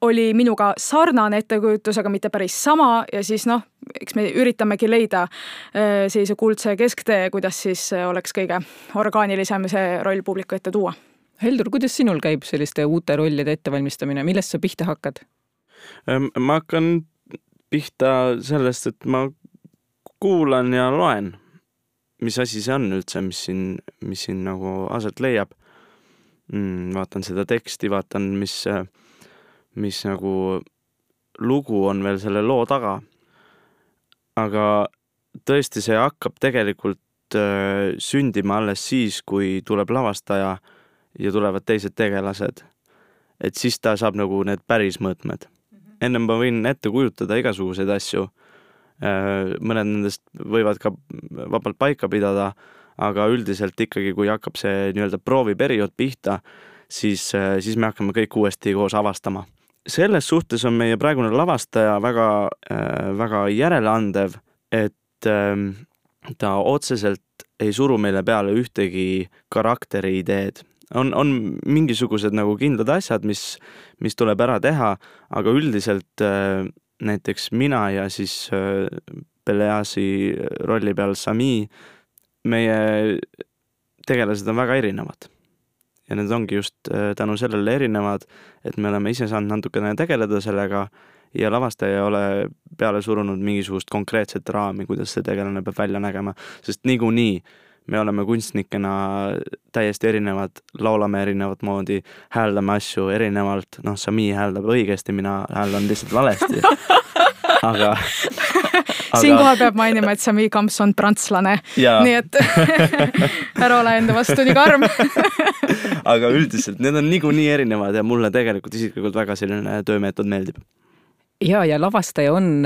oli minuga sarnane ettekujutus, aga mitte päris sama ja siis noh, eks me üritamegi leida sellise kuldse kesktee, kuidas siis oleks kõige orgaanilisem see roll publiku ette tuua. Heldur, kuidas sinul käib selliste uute rollide ettevalmistamine? Millest sa pihta hakkad? Ma hakkan pihta sellest, et ma kuulan ja loen, mis asi see on üldse, mis siin, mis siin nagu aset leiab. Vaatan seda teksti, vaatan, mis mis nagu lugu on veel selle loo taga. Aga tõesti see hakkab tegelikult äh, sündima alles siis, kui tuleb lavastaja ja tulevad teised tegelased. Et siis ta saab nagu need päris mõõtmed. Ennem ma võin ette kujutada igasuguseid asju. Äh, mõned nendest võivad ka vabalt paika pidada, aga üldiselt ikkagi, kui hakkab see nii-öelda prooviperiood pihta, siis, äh, siis me hakkame kõik uuesti koos avastama. Selles suhtes on meie praegune lavastaja väga, äh, väga järeleandev, et äh, ta otseselt ei suru meile peale ühtegi karakteri ideed. On, on mingisugused nagu kindlad asjad, mis, mis tuleb ära teha, aga üldiselt äh, näiteks mina ja siis äh, Peleasi rolli peal Sami, meie tegelased on väga erinevad. Ja need ongi just äh, tänu sellele erinevad, et me oleme ise saanud natukene tegeleda sellega ja lavastaja ei ole peale surunud mingisugust konkreetset raami, kuidas see tegelane peab välja nägema, sest niikuinii me oleme kunstnikena täiesti erinevad, laulame erinevat moodi, hääldame asju erinevalt, noh, Sami hääldab õigesti, mina hääldan lihtsalt valesti. aga, aga... Siinkohal peab mainima, et Sami Kamps on prantslane, nii et ära ole enda vastu nii karm. aga üldiselt need on niikuinii erinevad ja mulle tegelikult isiklikult väga selline töömeetod meeldib. Ja, ja lavastaja on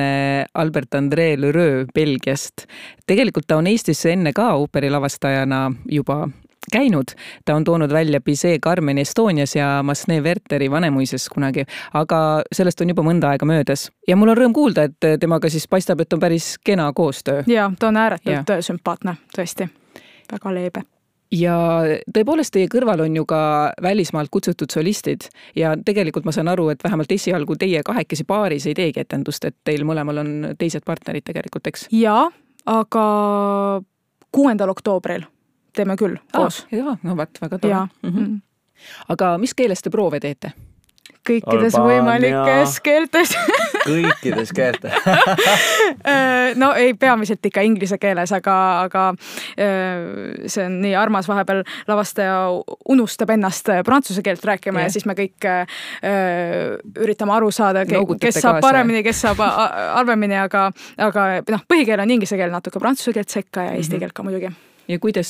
Albert-André Lheureux Belgiast. Tegelikult ta on Eestisse enne ka ooperilavastajana juba käinud. Ta on toonud välja Bizet Carmen Estonias ja Massenet Wertheri Vanemuises kunagi, aga sellest on juba mõnda aega möödas. Ja mul on rõõm kuulda, et temaga siis paistab, et on päris kena koostöö. Ja, ta on ääretult ja. Sümpaatne, tõesti. Väga leebe. Ja tõepoolest teie kõrval on ju ka välismaalt kutsutud solistid ja tegelikult ma saan aru, et vähemalt esialgu teie kahekesi paaris ei teegi etendust, et teil mõlemal on teised partnerid tegelikult, eks? Jaa, aga kuuendal oktoobril teeme küll koos. Ah, jaa, no vaat, väga tore. Mm-hmm. Aga mis keeles te proove teete? Kõikides Albaania. Võimalikes keeltes. Kõikides keeltes. no ei, peamiselt ikka inglise keeles, aga, aga see on nii armas, vahepeal lavastaja unustab ennast prantsuse keelt rääkima ja, ja siis me kõik üritame aru saada, kes saab paremini, kes saab halvemini, aga, aga noh, põhikeel on inglise keel, natuke prantsuse keelt sekka ja eesti keelt ka muidugi. Ja kuidas,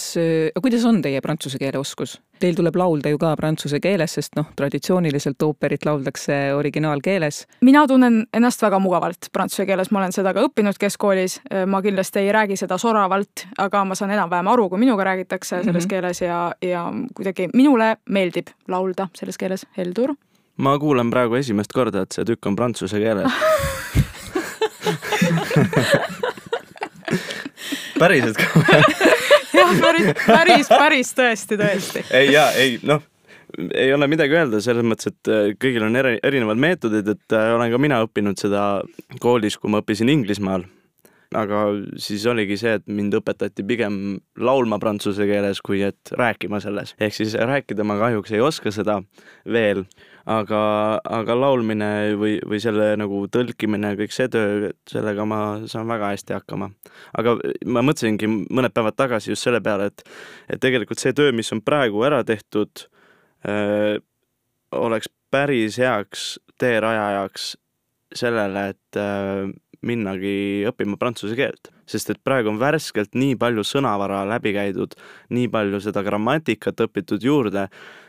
kuidas on teie prantsuse keele oskus? Teil tuleb laulda ju ka prantsuse keeles, sest noh, traditsiooniliselt ooperit lauldakse originaalkeeles. Mina tunnen ennast väga mugavalt prantsuse keeles, ma olen seda ka õppinud keskkoolis. Ma kindlasti ei räägi seda soravalt, aga ma saan enam-vähem aru, kui minuga räägitakse selles mm-hmm. keeles ja, ja kuidagi minule meeldib laulda selles keeles. Heldur? Ma kuulen praegu esimest korda, et see tükk on prantsuse keeles. Päriselt ka. jah, päris, päris, päris tõesti, tõesti. ei, jaa, ei, noh, ei ole midagi öelda selles mõttes, et kõigil on eri, erinevad meetodid, et olen ka mina õppinud seda koolis, kui ma õppisin Inglismaal. Aga siis oligi see, et mind õpetati pigem laulma prantsuse keeles, kui et rääkima selles. Ehk siis rääkida ma kahjuks ei oska seda veel, aga, aga laulmine või, või selle nagu tõlkimine, kõik see töö, sellega ma saan väga hästi hakkama. Aga ma mõtlesingi mõned päevad tagasi just selle peale, et, et tegelikult see töö, mis on praegu ära tehtud, öö, oleks päris heaks teerajajaks sellele, et öö, minnagi õppima prantsuse keelt. Sest et praegu on värskelt nii palju sõnavara läbi käidud, nii palju seda grammatikat õpitud juurde,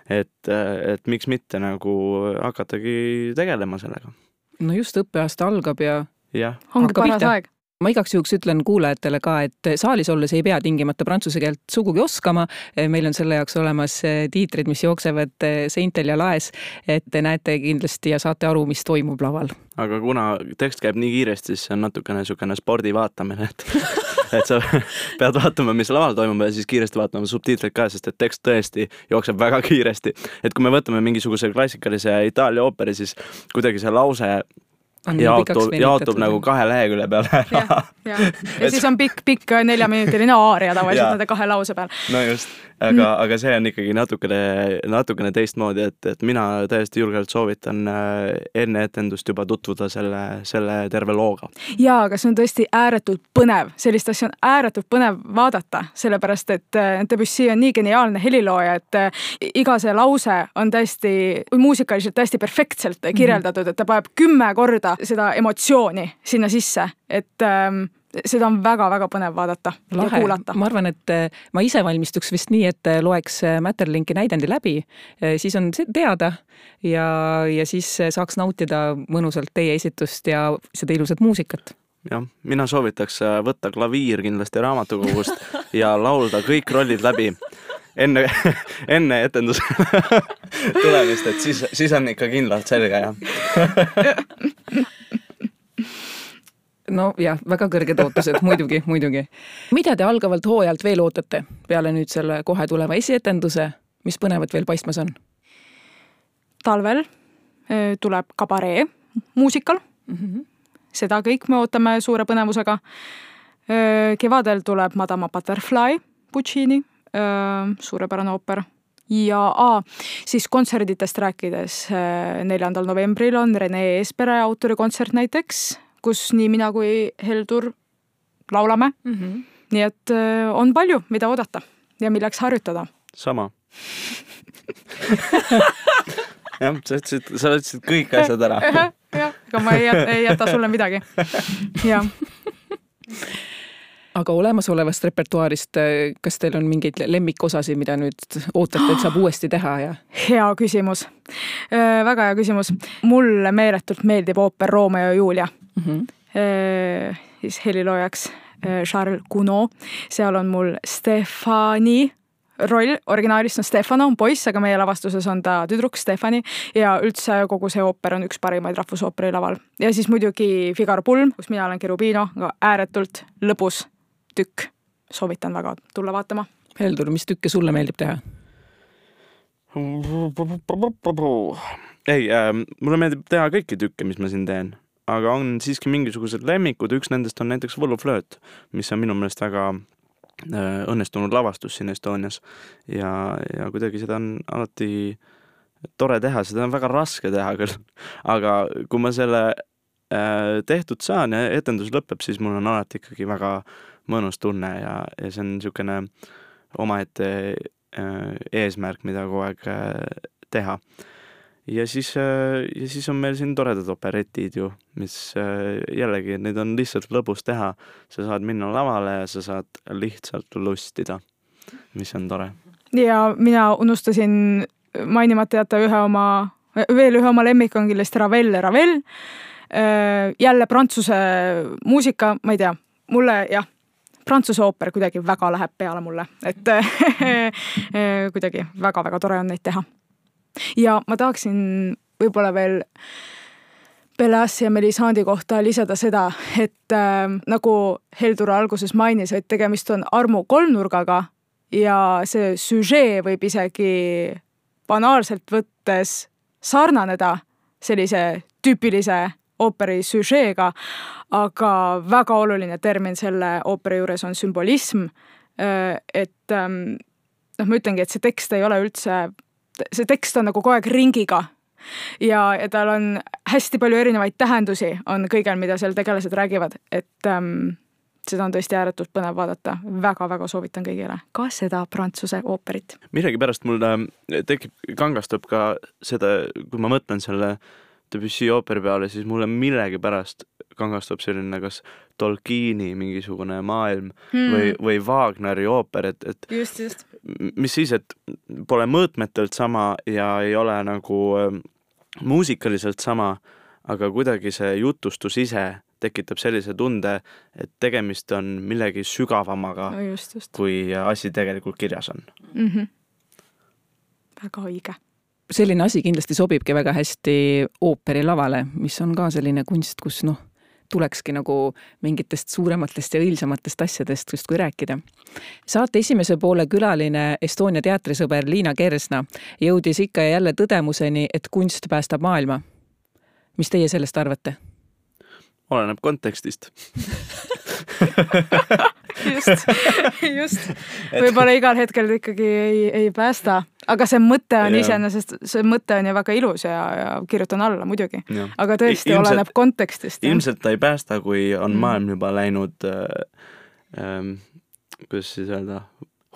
et, et miks mitte nagu hakatagi tegelema sellega. No just õppeaasta algab ja, ja. Ongi paras aeg. Ma igaks juhuks ütlen kuulajatele ka, et saalis olles ei pea tingimata prantsuse keelt sugugi oskama. Meil on selle jaoks olemas tiitrid, mis jooksevad seintel ja laes, et te näete kindlasti ja saate aru, mis toimub laval. Aga kuna tekst käib nii kiiresti, siis see on natukene niisugune spordi vaatamine, et, et sa pead vaatama, mis laval toimub ja siis kiiresti vaatama subtiitreid ka, sest et tekst tõesti jookseb väga kiiresti. Et kui me võtame mingisuguse klassikalise Itaalia ooperi, siis kuidagi see lause jaotub, jaotub nagu kahe lehekülje peale ära. Ja, ja. ja siis on pikk, pikk neljaminutiline aaria tavaliselt nende kahe lause peal. No just, aga, mm. aga see on ikkagi natukene, natukene teistmoodi, et, et mina täiesti julgelt soovitan enne etendust juba tutvuda selle, selle terve looga. Jaa, aga see on tõesti ääretult põnev. Sellist asja on ääretult põnev vaadata, sellepärast, et Debussy on nii geniaalne helilooja, et iga see lause on täiesti, muusikaliselt täiesti perfektselt kirjeldatud, et ta paneb kümme korda seda emotsiooni sinna sisse, et ähm, seda on väga-väga põnev vaadata Lahe. Ja kuulata. Ma arvan, et ma ise valmistuks vist nii, et loeks Mäterlinki näidendi läbi, siis on teada ja, ja siis saaks nautida mõnusalt teie esitust ja seda ilusat muusikat. Jah, mina soovitaks võtta klaviir kindlasti raamatukogust ja laulda kõik rollid läbi enne, enne etendus tulemist, et siis, siis on ikka kindlalt selge, jah. no jah, väga kõrged ootused, muidugi, muidugi. Mida te algavalt hooajalt veel ootate peale nüüd selle kohe tuleva esietenduse, mis põnevat veel paistmas on? Talvel tuleb kabaree muusikal. Mm-hmm. Seda kõik me ootame suure põnevusega. Kevadel tuleb Madama Butterfly Puccini, suurepärane ooper. Ja a, siis kontserditest rääkides neljandal novembril on Rene Eespere autorikontsert näiteks, kus nii mina kui Heldur laulame. Mm-hmm. Nii et on palju, mida oodata ja milleks harjutada. Sama. jah, sa ütlesid, sa ütlesid kõik asjad ära. jah, aga ma ei jäta, ei jäta sulle midagi. jah. Aga olemasolevast repertuaarist, kas teil on mingeid lemmikosasid, mida nüüd ootate, et saab uuesti teha? Ja? Hea küsimus. Väga hea küsimus. Mulle meeletult meeldib ooper Romeo ja Julia. Mm-hmm. Siis heliloojaks Charles Gounod. Seal on mul Stefani roll, originaalist on Stefano, on poiss, aga meie lavastuses on ta tüdruk Stefani ja üldse kogu see ooper on üks parimaid rahvusooperi laval. Ja siis muidugi Figaro pulm, kus mina olen Cherubino, aga ääretult lõbus tükk. Soovitan väga tulla vaatama. Heldur, mis tükke sulle meeldib teha? Ei, äh, mulle meeldib teha kõiki tükke, mis ma siin teen. Aga on siiski mingisugused lemmikud. Üks nendest on näiteks Võluflööt, mis on minu meelest väga äh, õnnestunud lavastus siin Estonias. Ja, ja kuidagi seda on alati tore teha. Seda on väga raske teha küll. Aga kui ma selle äh, tehtud saan ja etendus lõpeb, siis mul on alati ikkagi väga mõnus tunne ja, ja see on niisugune omaette äh, eesmärk, mida kogu aeg äh, teha. Ja siis, äh, ja siis on meil siin toredad operetid ju, mis äh, jällegi, neid on lihtsalt lõbus teha. Sa saad minna lavale ja sa saad lihtsalt lustida, mis on tore. Ja mina unustasin mainimata jätta ühe oma, veel ühe oma lemmik on kindlasti Ravel, Ravel. Äh, jälle prantsuse muusika, ma ei tea, mulle jah, prantsuse ooper kuidagi väga läheb peale mulle, et kuidagi väga-väga tore on neid teha. Ja ma tahaksin võib-olla veel Bellassi ja Melisandi kohta lisada seda, et äh, nagu Heldur alguses mainis, et tegemist on armu kolmnurgaga ja see süžee võib isegi banaalselt võttes sarnaneda sellise tüüpilise ooperi süžeega, aga väga oluline termin selle ooperi juures on sümbolism, et noh, ma ütlengi, et see tekst ei ole üldse, see tekst on nagu kogu aeg ringiga ja, ja tal on hästi palju erinevaid tähendusi on kõigel, mida seal tegelased räägivad, et ähm, seda on tõesti ääretult põnev vaadata. Väga-väga soovitan kõigile ka seda prantsuse ooperit. Midagi pärast mul tekib, kangastub ka seda, kui ma mõtlen selle Debussy ooperi peale, siis mulle millegi pärast kangastub selline kas Tolkieni mingisugune maailm hmm. või, või Wagneri ooper, et, et just, just. mis siis, et pole mõõtmetelt sama ja ei ole nagu äh, muusikaliselt sama, aga kuidagi see jutustus ise tekitab sellise tunde, et tegemist on millegi sügavamaga, no just, just. kui asi tegelikult kirjas on. Mm-hmm. Väga õige. Selline asi kindlasti sobibki väga hästi ooperi lavale, mis on ka selline kunst, kus noh, tulekski nagu mingitest suurematest ja õilsamatest asjadest just kui rääkida. Saate esimese poole külaline Estonia teatrisõber Liina Kersna jõudis ikka ja jälle tõdemuseni, et kunst päästab maailma. Mis teie sellest arvate? Oleneb kontekstist. just, just. Võib-olla igal hetkel ikkagi ei, ei päästa, aga see mõte on iseenesest, see mõte on ju väga ilus ja, ja kirjutan alla muidugi. Ja. Aga tõesti ilmselt, oleneb kontekstist. Ilmselt ta ei päästa, kui on mm. maailm juba läinud äh, ähm, kuidas siis öelda,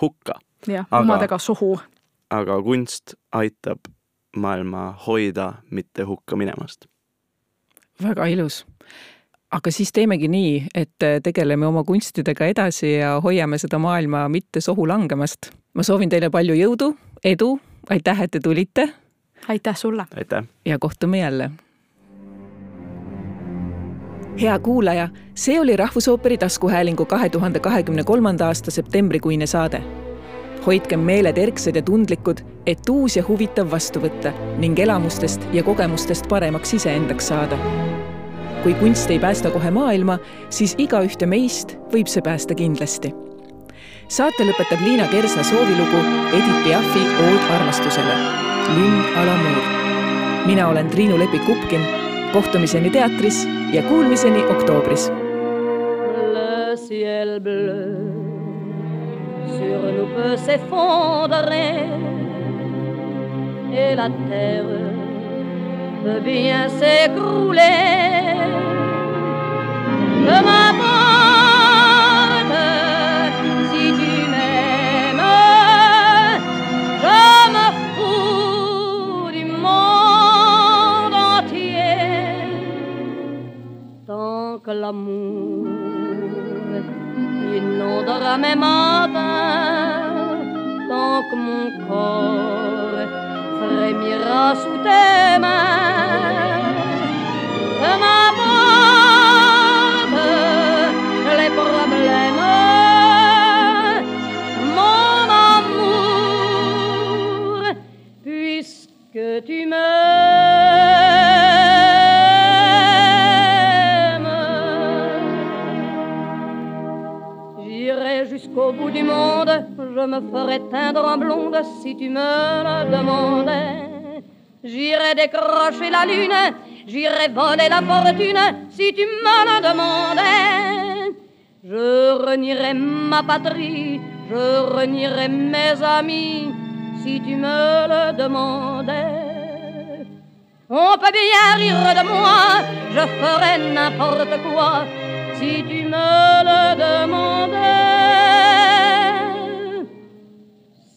hukka. Jah, omadega suhu. Aga kunst aitab maailma hoida, mitte hukka minemast. Väga ilus. Aga siis teemegi nii, et tegeleme oma kunstidega edasi ja hoiame seda maailma mitte sohu langemast. Ma soovin teile palju jõudu, edu, aitäh, et te tulite. Aitäh sulle. Aitäh. Ja kohtume jälle. Hea kuulaja, see oli Rahvusooperi taskuhäälingu kahe tuhande kahekümne kolmanda aasta septembrikuine saade. Hoidkem meeled erksed ja tundlikud, et uus ja huvitav vastu võtta ning elamustest ja kogemustest paremaks iseendaks saada. kui kunst ei päästa kohe maailma, siis igaühte meist võib see päästa kindlasti. Saate lõpetab Liina Kersna soovilugu Edith Piafi Ood armastusele, Lynn à l'amour. Mina olen Triinu Lepik-Kupkin, kohtumiseni teatris ja kuulmiseni oktoobris. Le ciel bleu sur nous peut s'effondrer et la terre peut bien s'écrouler. Je m'apporte si tu m'aimes, je me fous du monde entier. Tant que l'amour inondera mes matins, tant que mon corps frémira sous tes mains, je m'apporte les problèmes, mon amour, puisque tu m'aimes. J'irai jusqu'au bout du monde, je me ferai teindre en blonde si tu me le demandais. J'irai décrocher la lune, j'irai voler la fortune si tu me le demandais. Je renierai ma patrie, je renierai mes amis si tu me le demandais. On peut bien rire de moi, je ferai n'importe quoi si tu me le demandais.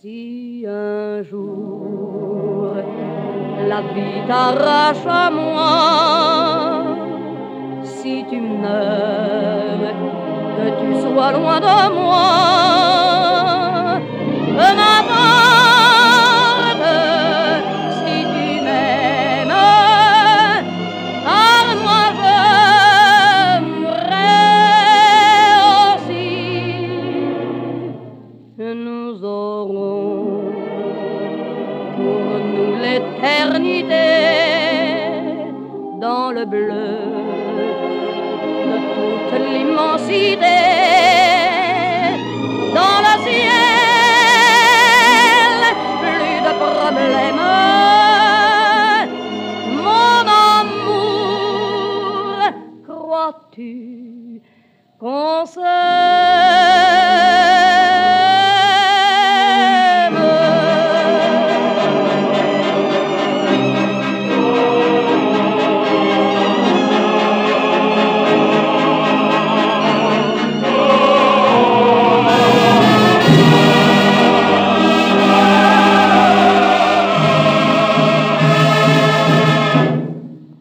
Si un jour la vie t'arrache à moi, si tu meurs, que tu sois loin de moi, peu m'importe si tu m'aimes, car moi je mourrai aussi. Nous aurons pour nous l'éternité dans le bleu de toute l'immensité, dans le ciel, plus de problèmes. Mon amour, crois-tu qu'on s'aime?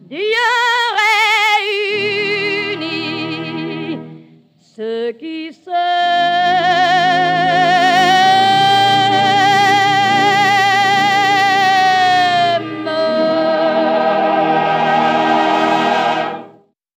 Dieu réunit ceux qui se